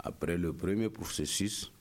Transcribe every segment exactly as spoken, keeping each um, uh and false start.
Après le premier processus,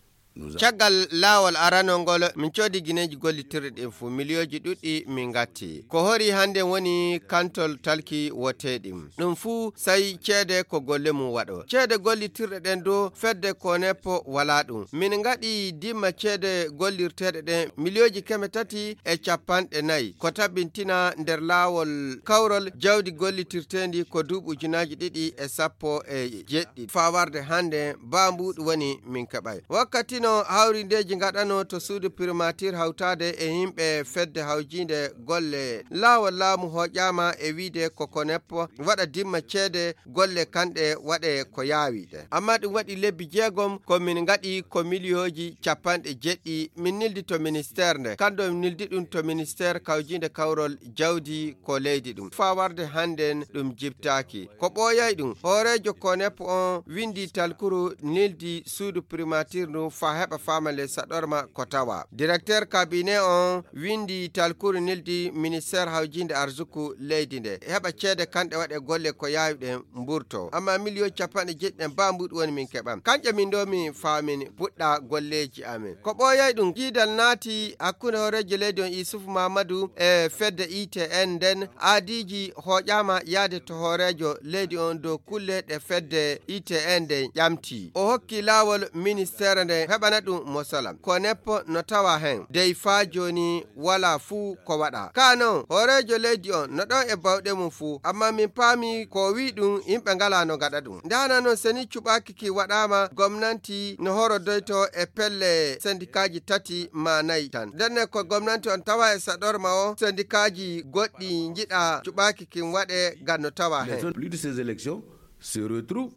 caggal laawol aranol ngol, min coodi gineeji gollitirɗi ɗin fuu, miliyooji ɗuɗɗi min ngatti. Ko hori hannde woni kantol talki woteeɗi? Ɗum fuu sai ceede ko golle mum waɗo. Ceede gollitirɗe ɗen dow fedde Konep walaa ɗum. Min ngaɗi dimma ceede gollirteeɗe ɗen miliyooji keme tati e capanɗe nayi. Ko tabintina nder laawol kawrol jawdi gollitirteendi ko duuɓi ujunaaji ɗiɗi e sappo e jeɗɗi. Faa warde hannde, baa mbuuɗu woni min keɓay. Wakkati no hawrindeeji ngaɗanoo to suudu primaatir hawtaade e yimɓe fedde hawjiinde golle laawol laamu hooƴaama e wiide ko Konep waɗa dimma ceede golle kanɗe waɗe ko yaawi ɗe. Amma ɗum waɗi lebbi jeegom ko min ngaɗi ko miliyooji capanɗe jeɗɗi min nildi to ministeer nde. Kanɗo min nildi ɗum to ministeer kawjiinde kawrol jawdi ko leydi ɗum. Faa warde hannden ɗum jibtaaki. Ko ɓooyay ɗum, hooreejo Konep on windi talkuru nildi suudu primaatir ndu faa heɓa faama ley saɗorma ko tawa. Direkteer kabinet on windi talkuru nildi ministeer hawjiinde arsuku leydi nde. Heɓa ceede kanɗe waɗe golle ko yaawi ɗen mburto. Amma miliyooji capanɗe jeɗɗi ɗen baa mbuuɗu woni min keɓan. Kanƴe min ɗo min faamin puɗɗa golleeji amin. Ko ɓooyay ɗum, jiidal naati hakkunde hooreejo leydi on Isufu Mamadu e fedde I T N nden. Aadiiji hooƴaama yaade to hooreejo leydi on dow kulle ɗe fedde I T N nden ƴamti. O hokki laawol ministeere nden heɓana ɗum mosalam. Konep no tawa hen. Dey faa jooni walaa fuu ko waɗa. Kaa non, hooreejo leydi on no ɗon e bawɗe mum fuu, amma min paami ko o wi'i ɗum, yimɓe ngalaa no ngaɗa ɗum. Nde hana non seni cuɓaaki ki waɗaama, gomnanti no horodoyto e pelle sendikaaji tati maa nayi tan. Ndenne ko gomnanti on tawa e saɗorma o, sendikaaji goɗɗi njiɗa cuɓaaki kin waɗe ngam no tawa hen. Les autres, plus de ces élections, se retrouvent